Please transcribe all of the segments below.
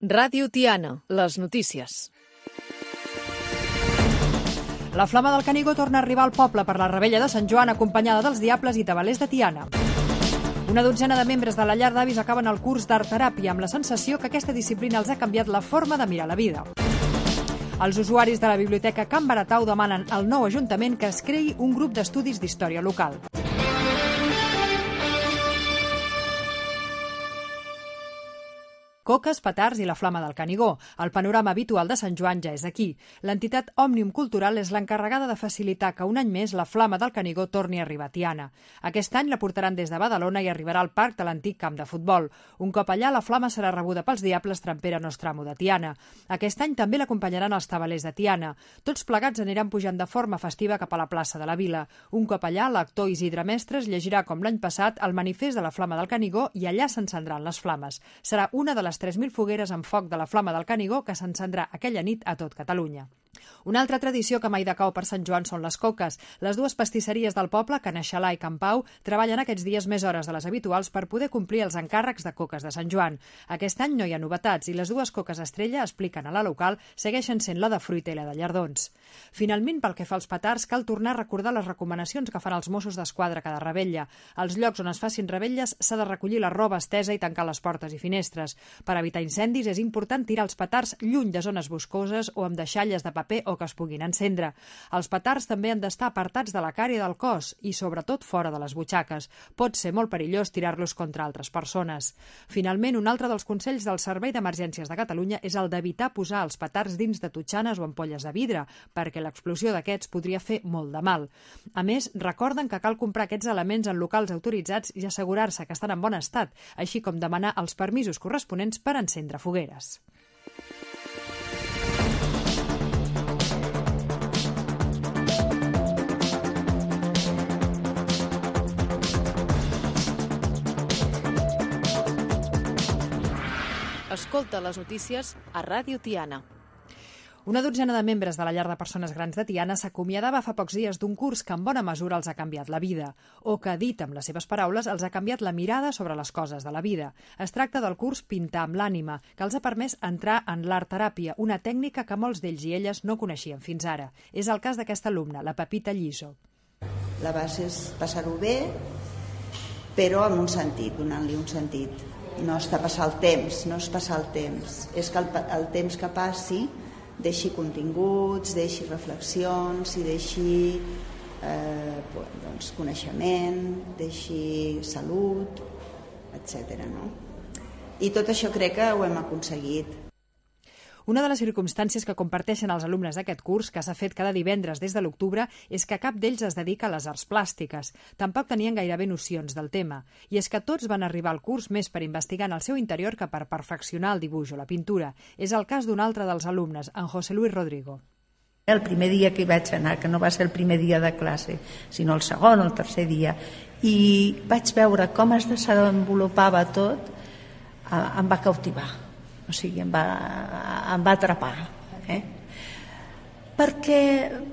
Ràdio Tiana, les notícies. La Flama del Canigó torna a arribar al poble per la Revetlla de Sant Joan acompanyada dels Diables i Tabalers de Tiana. Una dotzena de membres de la llar d'avis acaben el curs d'art teràpia amb la sensació que aquesta disciplina els ha canviat la forma de mirar la vida. Els usuaris de la Biblioteca Can Baratau demanen al nou Ajuntament que es creï un grup d'estudis d'història local. Coques, petards i la Flama del Canigó. El panorama habitual de Sant Joan ja és aquí. L'entitat Òmnium Cultural és l'encarregada de facilitar que un any més la Flama del Canigó torni a arribar a Tiana. Aquest any la portaran des de Badalona i arribarà al parc de l'antic camp de futbol. Un cop allà, la Flama serà rebuda pels Diables Trampera Nostramo de Tiana. Aquest any també l'acompanyaran els Tabalers de Tiana. Tots plegats aniran pujant de forma festiva cap a la plaça de la Vila. Un cop allà, l'actor Isidre Mestres llegirà, com l'any passat, el manifest de la Flama del Canigó i allà s'encendran les flames. Serà una de les 3.000 fogueres amb foc de la Flama del Canigó que s'encendrà aquella nit a tot Catalunya. Una altra tradició que mai decau per Sant Joan són les coques. Les dues pastisseries del poble, Can Aixalà i Can Pau, treballen aquests dies més hores de les habituals per poder complir els encàrrecs de coques de Sant Joan. Aquest any no hi ha novetats i les dues coques estrella, expliquen a la local, segueixen sent la de fruita i la de llardons. Finalment, pel que fa als petards, cal tornar a recordar les recomanacions que fan els Mossos d'Esquadra cada revetlla. Als llocs on es facin revetlles s'ha de recollir la roba estesa i tancar les portes i finestres. Per evitar incendis és important tirar els petards lluny de zones boscoses o amb deixalles de paper o que es puguin encendre. Els petards també han d'estar apartats de la cara i del cos i, sobretot, fora de les butxaques. Pot ser molt perillós tirar-los contra altres persones. Finalment, un altre dels consells del Servei d'Emergències de Catalunya és el d'evitar posar els petards dins de totxanes o ampolles de vidre, perquè l'explosió d'aquests podria fer molt de mal. A més, recorden que cal comprar aquests elements en locals autoritzats i assegurar-se que estan en bon estat, així com demanar els permisos corresponents per encendre fogueres. Escolta les notícies a Ràdio Tiana. Una dotzena de membres de la llar de persones grans de Tiana s'acomiadava fa pocs dies d'un curs que en bona mesura els ha canviat la vida, o que, dit amb les seves paraules, els ha canviat la mirada sobre les coses de la vida. Es tracta del curs Pintar amb l'ànima, que els ha permès entrar en l'art teràpia, una tècnica que molts d'ells i elles no coneixien fins ara. És el cas d'aquesta alumna, la Pepita Lliso. La base és passar-ho bé, però amb un sentit, donant-li un sentit. No està passar el temps, no és passar el temps. És que el temps que passi deixi continguts, deixi reflexions i deixi coneixement, deixi salut, etc. No? I tot això crec que ho hem aconseguit. Una de les circumstàncies que comparteixen els alumnes d'aquest curs, que s'ha fet cada divendres des de l'octubre, és que cap d'ells es dedica a les arts plàstiques. Tampoc tenien gairebé nocions del tema. I és que tots van arribar al curs més per investigar en el seu interior que per perfeccionar el dibuix o la pintura. És el cas d'un altre dels alumnes, en José Luis Rodrigo. El primer dia que hi vaig anar, que no va ser el primer dia de classe, sinó el segon o el tercer dia, i vaig veure com es desenvolupava tot, em va cautivar. O sigui, em va atrapar. Perquè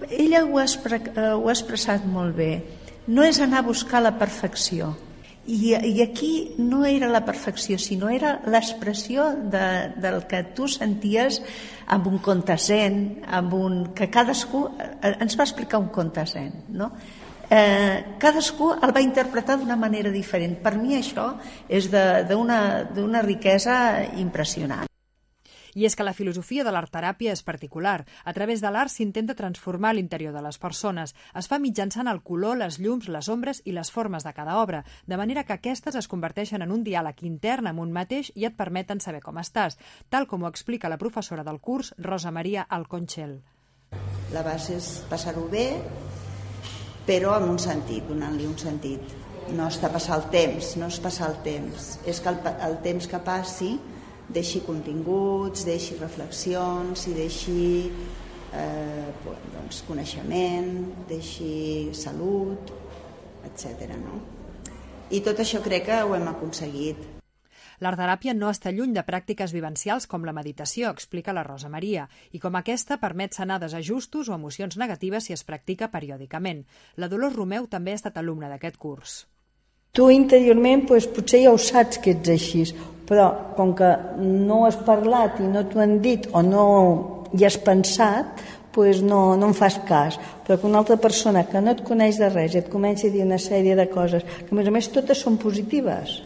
ella ho ha expressat molt bé. No és anar a buscar la perfecció. I aquí no era la perfecció, sinó era l'expressió del que tu senties amb un conte zen, que cadascú ens va explicar un conte zen, no? Cadascú el va interpretar d'una manera diferent. Per mi això és d'una riquesa impressionant. I és que la filosofia de l'art teràpia és particular. A través de l'art s'intenta transformar l'interior de les persones. Es fa mitjançant el color, les llums, les ombres i les formes de cada obra, de manera que aquestes es converteixen en un diàleg intern amb un mateix i et permeten saber com estàs, tal com ho explica la professora del curs, Rosa Maria Alconchel. La base és passar-ho bé, però amb un sentit, donant-li un sentit. No està passar el temps, no és passar el temps. És que el temps que passi deixi continguts, deixi reflexions i deixi coneixement, deixi salut, etc. No? I tot això crec que ho hem aconseguit. L'art teràpia no està lluny de pràctiques vivencials com la meditació, explica la Rosa Maria, i com aquesta permet sanar desajustos o emocions negatives si es practica periòdicament. La Dolors Romeu també ha estat alumna d'aquest curs. Tu interiorment potser ja ho saps que ets així, Però com que no has parlat i no t'ho han dit o no hi has pensat, doncs no en fas cas. Però que una altra persona que no et coneix de res i et comença a dir una sèrie de coses, que a més totes són positives,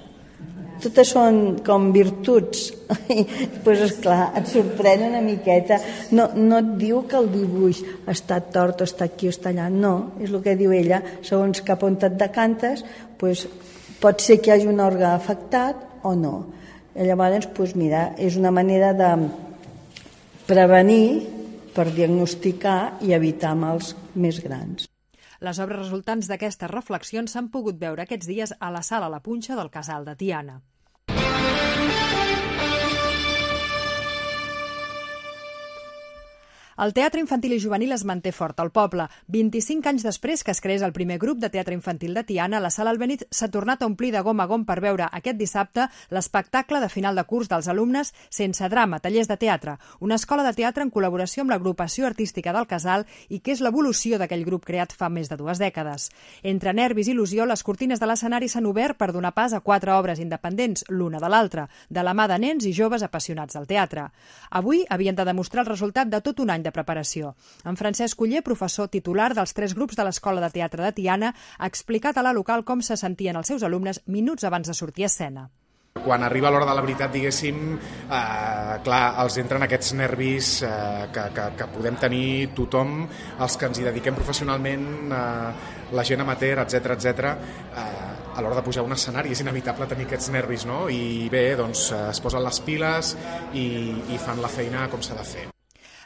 totes són com virtuts, doncs esclar, et sorprèn una miqueta. No et diu que el dibuix està tort o està aquí o està allà, no, és el que diu ella, segons cap on et decantes, doncs pot ser que hi hagi un òrgan afectat o no. I llavors, doncs mira, és una manera de prevenir per diagnosticar i evitar mals més grans. Les obres resultants d'aquestes reflexions s'han pogut veure aquests dies a la Sala La Punxa del Casal de Tiana. El teatre infantil i juvenil es manté fort al poble. 25 anys després que es creés el primer grup de teatre infantil de Tiana, la Sala Albéniz s'ha tornat a omplir de gom a gom per veure aquest dissabte l'espectacle de final de curs dels alumnes Sense drama, tallers de teatre, una escola de teatre en col·laboració amb l'agrupació artística del Casal i que és l'evolució d'aquell grup creat fa més de 2 dècades. Entre nervis i il·lusió, les cortines de l'escenari s'han obert per donar pas a 4 obres independents, l'una de l'altra, de la mà de nens i joves apassionats del teatre. Avui havien de demostrar el resultat de tot un any de preparació. En Francesc Oller, professor titular dels 3 grups de l'Escola de Teatre de Tiana, ha explicat a la local com se sentien els seus alumnes minuts abans de sortir a escena. Quan arriba l'hora de la veritat, diguéssim, clar, els entren aquests nervis que podem tenir tothom, els que ens hi dediquem professionalment, la gent amateur, etc. A l'hora de pujar a un escenari és inevitable tenir aquests nervis, no? I bé, doncs es posen les piles i fan la feina com s'ha de fer.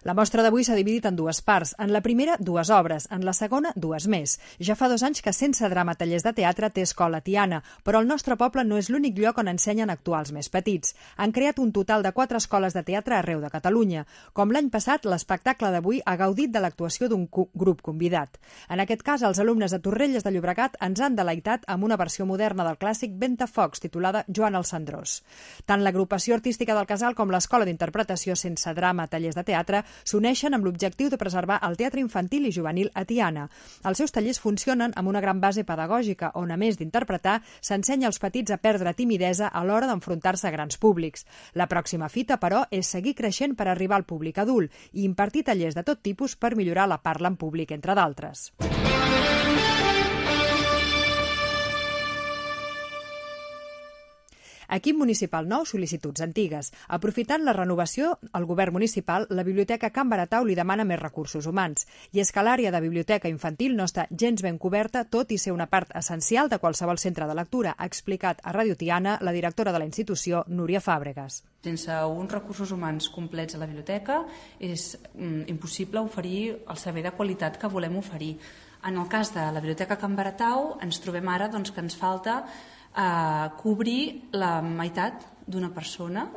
La mostra d'avui s'ha dividit en 2 parts. En la primera, 2 obres. En la segona, 2 més. Ja fa 2 anys que Sense drama, tallers de teatre té escola a Tiana, però el nostre poble no és l'únic lloc on ensenyen actuals més petits. Han creat un total de 4 escoles de teatre arreu de Catalunya. Com l'any passat, l'espectacle d'avui ha gaudit de l'actuació d'un grup convidat. En aquest cas, els alumnes de Torrelles de Llobregat ens han deleitat amb una versió moderna del clàssic Ventafocs, titulada Joan el Cendrós. Tant l'agrupació artística del Casal com l'escola d'interpretació Sense drama, tallers de teatre s'uneixen amb l'objectiu de preservar el teatre infantil i juvenil a Tiana. Els seus tallers funcionen amb una gran base pedagògica on, a més d'interpretar, s'ensenya als petits a perdre timidesa a l'hora d'enfrontar-se a grans públics. La pròxima fita, però, és seguir creixent per arribar al públic adult i impartir tallers de tot tipus per millorar la parla en públic, entre d'altres. Equip municipal nou, sol·licituds antigues. Aprofitant la renovació, el govern municipal, la Biblioteca Can Baratau li demana més recursos humans. I és que l'àrea de biblioteca infantil no està gens ben coberta, tot i ser una part essencial de qualsevol centre de lectura, ha explicat a Ràdio Tiana la directora de la institució, Núria Fàbregas. Sense uns recursos humans complets a la biblioteca és impossible oferir el servei de qualitat que volem oferir. En el cas de la Biblioteca Can Baratau ens trobem ara que ens falta cobrir la meitat d'una persona.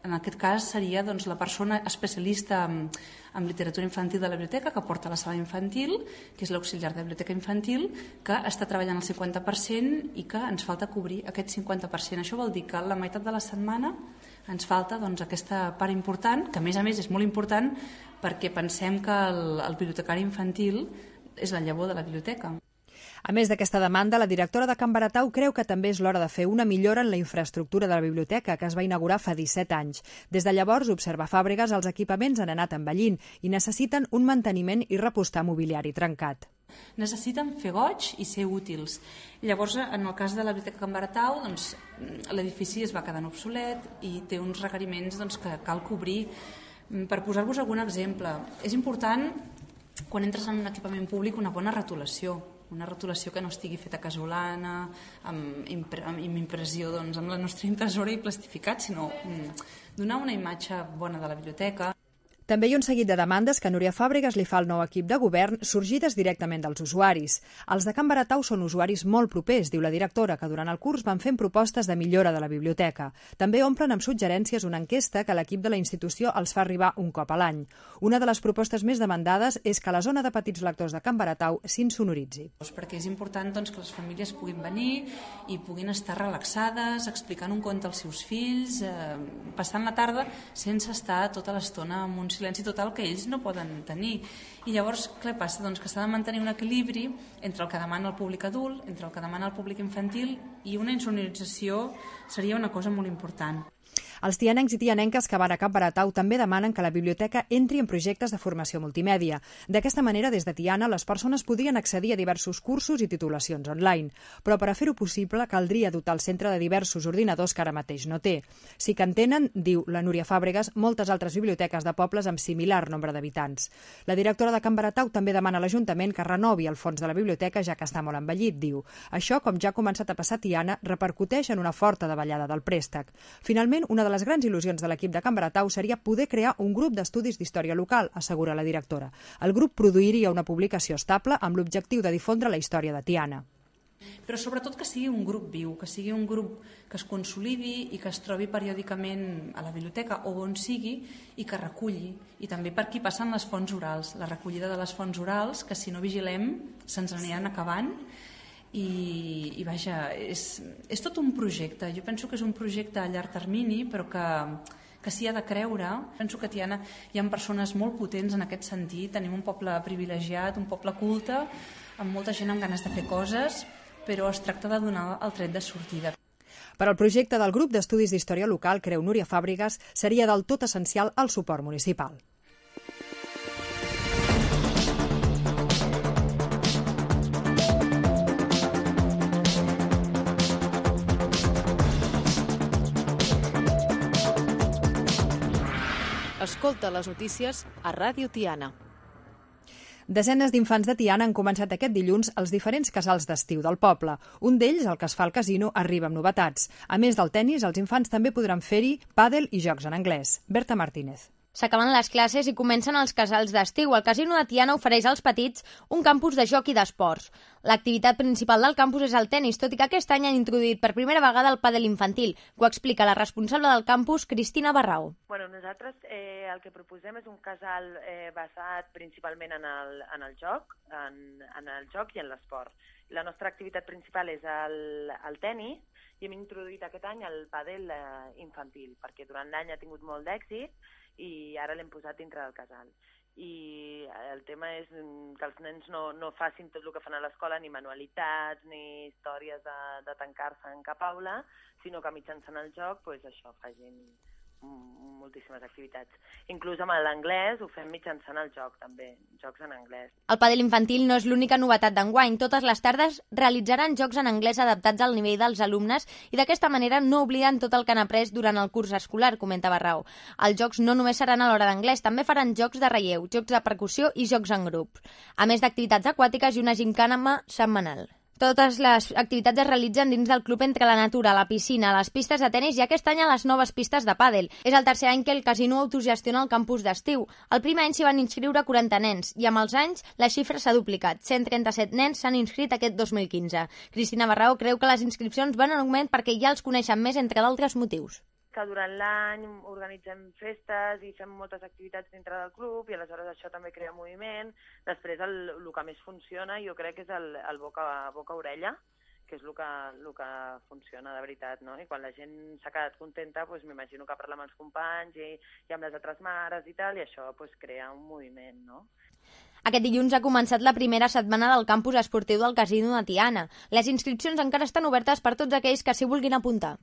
En aquest cas seria la persona especialista en literatura infantil de la biblioteca que porta la sala infantil, que és l'auxiliar de biblioteca infantil, que està treballant al 50% i que ens falta cobrir aquest 50%. Això vol dir que la meitat de la setmana ens falta aquesta part important, que a més és molt important perquè pensem que el bibliotecari infantil és la llavor de la biblioteca. A més d'aquesta demanda, la directora de Can Baratau creu que també és l'hora de fer una millora en la infraestructura de la biblioteca, que es va inaugurar fa 17 anys. Des de llavors, observa Fàbregas, els equipaments han anat envellint i necessiten un manteniment i repostar mobiliari trencat. Necessiten fer goig i ser útils. Llavors, en el cas de la Biblioteca Can Baratau, l'edifici es va quedant obsolet i té uns requeriments que cal cobrir. Per posar-vos algun exemple, és important, quan entres en un equipament públic, una bona retolació que no estigui feta casolana, amb impressió amb la nostra impressora i plastificat, sinó donar una imatge bona de la biblioteca. També hi ha un seguit de demandes que Núria Fàbregas li fa al nou equip de govern, sorgides directament dels usuaris. Els de Can Baratau són usuaris molt propers, diu la directora, que durant el curs van fent propostes de millora de la biblioteca. També omplen amb suggerències una enquesta que l'equip de la institució els fa arribar un cop a l'any. Una de les propostes més demandades és que la zona de petits lectors de Can Baratau s'insonoritzi. Perquè és important que les famílies puguin venir i puguin estar relaxades, explicant un conte als seus fills, passant la tarda sense estar tota l'estona amb un silenci total que ells no poden tenir. I llavors, què passa? Doncs que s'ha de mantenir un equilibri entre el que demana el públic adult, entre el que demana el públic infantil, i una insonorització seria una cosa molt important. Els tianencs i tianenques que van a Can Baratau també demanen que la biblioteca entri en projectes de formació multimèdia. D'aquesta manera, des de Tiana, les persones podrien accedir a diversos cursos i titulacions online. Però per a fer-ho possible, caldria dotar el centre de diversos ordinadors que ara mateix no té. Sí que en tenen, diu la Núria Fàbregas, moltes altres biblioteques de pobles amb similar nombre d'habitants. La directora de Can Baratau també demana a l'Ajuntament que renovi el fons de la biblioteca, ja que està molt envellit, diu. Això, com ja ha començat a passar a Tiana, repercuteix en una forta davallada del préstec. Finalment, una de les grans il·lusions de l'equip de Can Baratau seria poder crear un grup d'estudis d'història local, assegura la directora. El grup produiria una publicació estable amb l'objectiu de difondre la història de Tiana. Però sobretot que sigui un grup viu, que sigui un grup que es consolidi i que es trobi periòdicament a la biblioteca o on sigui i que reculli. I també per aquí passen les fonts orals, la recollida de les fonts orals, que si no vigilem se'ns aniran acabant. I vaja, és tot un projecte. Jo penso que és un projecte a llarg termini, però que s'hi ha de creure. Penso que a Tiana hi ha persones molt potents en aquest sentit. Tenim un poble privilegiat, un poble culte, amb molta gent amb ganes de fer coses, però es tracta de donar el tret de sortida. Per al projecte del grup d'estudis d'història local, creu Núria Fàbregas, seria del tot essencial el suport municipal. Escolta les notícies a Ràdio Tiana. Desenes d'infants de Tiana han començat aquest dilluns als diferents casals d'estiu del poble. Un d'ells, el que es fa al casino, arriba amb novetats. A més del tennis, els infants també podran fer-hi pàdel i jocs en anglès. Berta Martínez. S'acaben les classes i comencen els casals d'estiu. El casino de Tiana ofereix als petits un campus de joc i d'esports. L'activitat principal del campus és el tennis, tot i que aquest any han introduït per primera vegada el pàdel infantil. Ho explica la responsable del campus, Cristina Barrau. Bueno, nosaltres el que proposem és un casal basat principalment en el joc, en el joc i en l'esport. La nostra activitat principal és el tennis i hem introduït aquest any el pàdel infantil, perquè durant l'any ha tingut molt d'èxit i ara l'hem posat dintre del casal. I el tema és que els nens no facin tot el que fan a l'escola, ni manualitats, ni històries de tancar-se en cap aula, sinó que mitjançant el joc, doncs això, facin moltíssimes activitats. Inclús amb l'anglès ho fem mitjançant el joc, també, jocs en anglès. El pàdel infantil no és l'única novetat d'enguany. Totes les tardes realitzaran jocs en anglès adaptats al nivell dels alumnes i d'aquesta manera no obliden tot el que han après durant el curs escolar, comenta Barrau. Els jocs no només seran a l'hora d'anglès, també faran jocs de relleu, jocs de percussió i jocs en grup, a més d'activitats aquàtiques i una gimcana setmanal. Totes les activitats es realitzen dins del club entre la natura, la piscina, les pistes de tenis i aquest any a les noves pistes de pàdel. És el tercer any que el casino autogestiona el campus d'estiu. El primer any s'hi van inscriure 40 nens i amb els anys la xifra s'ha duplicat. 137 nens s'han inscrit aquest 2015. Cristina Barrau creu que les inscripcions van en augment perquè ja els coneixen més, entre d'altres motius. Que durant l'any organitzem festes i fem moltes activitats dintre del club i aleshores això també crea moviment. Després el que més funciona jo crec que és el boca-orella, que és el que funciona de veritat, no? I quan la gent s'ha quedat contenta, doncs m'imagino que parla amb els companys i amb les altres mares i tal, i això doncs crea un moviment, no? Aquest dilluns ha començat la primera setmana del campus esportiu del casino de Tiana. Les inscripcions encara estan obertes per tots aquells que s'hi vulguin apuntar.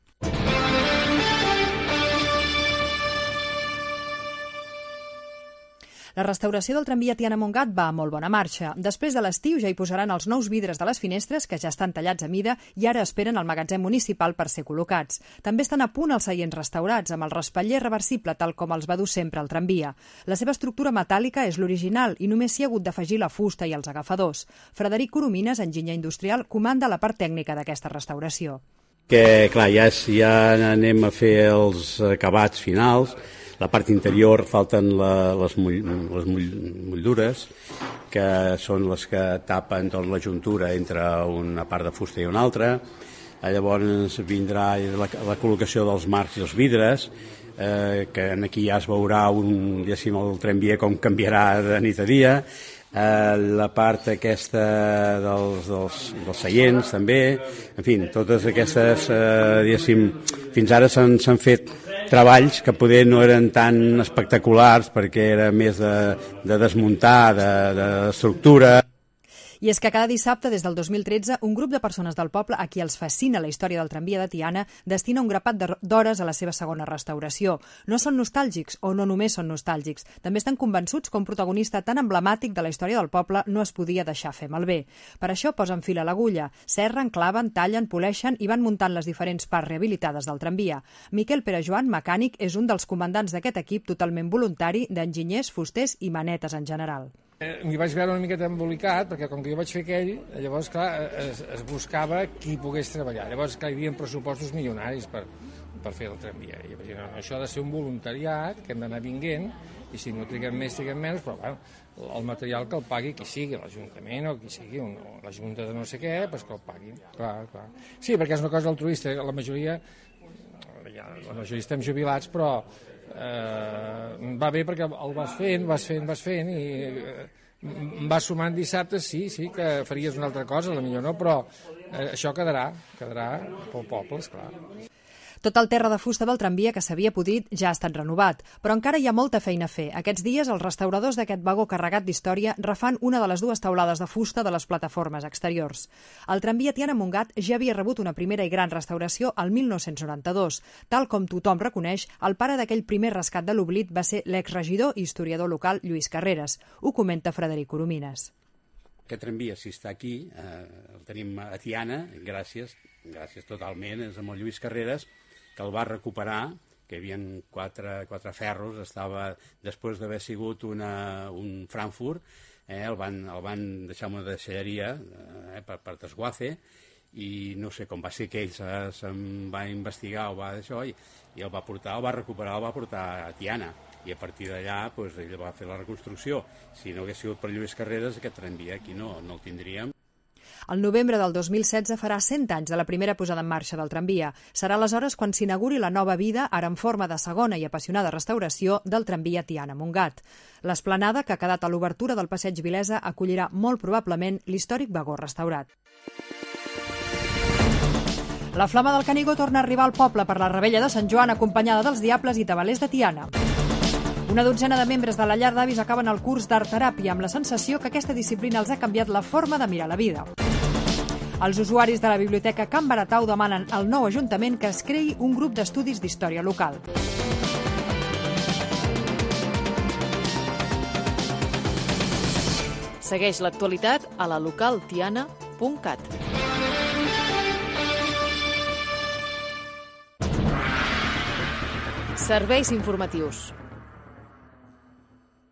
La restauració del tramvia Tiana-Montgat va a molt bona marxa. Després de l'estiu ja hi posaran els nous vidres de les finestres, que ja estan tallats a mida i ara esperen al magatzem municipal per ser col·locats. També estan a punt els seients restaurats, amb el respatller reversible, tal com els va dur sempre el tramvia. La seva estructura metàl·lica és l'original i només s'hi ha hagut d'afegir la fusta i els agafadors. Frederic Coromines, enginyer industrial, comanda la part tècnica d'aquesta restauració. Que, clar, ja anem a fer els acabats finals. La part interior falten les motllures, que són les que tapen la juntura entre una part de fusta i una altra. Llavors vindrà la col·locació dels marcs i els vidres, que aquí ja es veurà el tramvia com canviarà de nit a dia. La part aquesta dels seients també, en fi, totes aquestes, fins ara s'han fet treballs que poder no eren tan espectaculars perquè era més de desmuntar, d'estructura. I és que cada dissabte, des del 2013, un grup de persones del poble a qui els fascina la història del tramvia de Tiana destina un grapat d'hores a la seva segona restauració. No són nostàlgics, o no només són nostàlgics. També estan convençuts que un protagonista tan emblemàtic de la història del poble no es podia deixar fer malbé. Per això posen fil a l'agulla, serren, claven, tallen, poleixen i van muntant les diferents parts rehabilitades del tramvia. Miquel Perejoan, mecànic, és un dels comandants d'aquest equip totalment voluntari d'enginyers, fusters i manetes en general. M'hi vaig veure una miqueta embolicat, perquè com que jo vaig fer aquell, llavors, clar, es buscava qui pogués treballar. Llavors, clar, hi havia pressupostos milionaris per fer el tramvia. I vaig dir, no, això ha de ser un voluntariat, que hem d'anar vinguent, i si no triguem més, triguem menys, però bueno, el material que el pagui qui sigui, l'Ajuntament o qui sigui, o la Junta de no sé què, doncs que el paguin. Clar. Sí, perquè és una cosa altruista, la majoria estem jubilats, però va bé perquè el vas fent i vas sumant dissabtes, sí que faries una altra cosa, potser no, però això quedarà pel poble, esclar. Tot el terra de fusta del tramvia que s'havia podrit ja ha estat renovat, però encara hi ha molta feina a fer. Aquests dies els restauradors d'aquest vagó carregat d'història refan una de les dues teulades de fusta de les plataformes exteriors. El tramvia Tiana-Montgat ja havia rebut una primera i gran restauració al 1992. Tal com tothom reconeix, el pare d'aquell primer rescat de l'oblit va ser l'exregidor i historiador local Lluís Carreras. Ho comenta Frederic Coromines. Aquest tramvia, si està aquí, el tenim a Tiana, gràcies totalment, és amb el Lluís Carreras, que el va recuperar, que hi havia quatre ferros, estava, després d'haver sigut un Frankfurt, el van deixar una deixalleria per desguace, i no sé com va ser que ell se'n va investigar o va d'això, i el va portar a Tiana, i a partir d'allà ell va fer la reconstrucció. Si no hagués sigut per Lluís Carreras, aquest tramvia aquí no el tindríem. El novembre del 2016 farà 100 anys de la primera posada en marxa del tramvia. Serà aleshores quan s'inauguri la nova vida, ara en forma de segona i apassionada restauració, del tramvia Tiana-Montgat. L'esplanada, que ha quedat a l'obertura del passeig Vilesa, acollirà molt probablement l'històric vagó restaurat. La Flama del Canigó torna a arribar al poble per la Revetlla de Sant Joan, acompanyada dels Diables i Tabalers de Tiana. Una dotzena de membres de la llar d'avis acaben el curs d'art teràpia amb la sensació que aquesta disciplina els ha canviat la forma de mirar la vida. Els usuaris de la Biblioteca Can Baratau demanen al nou Ajuntament que es creï un grup d'estudis d'història local. Segueix l'actualitat a la localtiana.cat. Serveis informatius.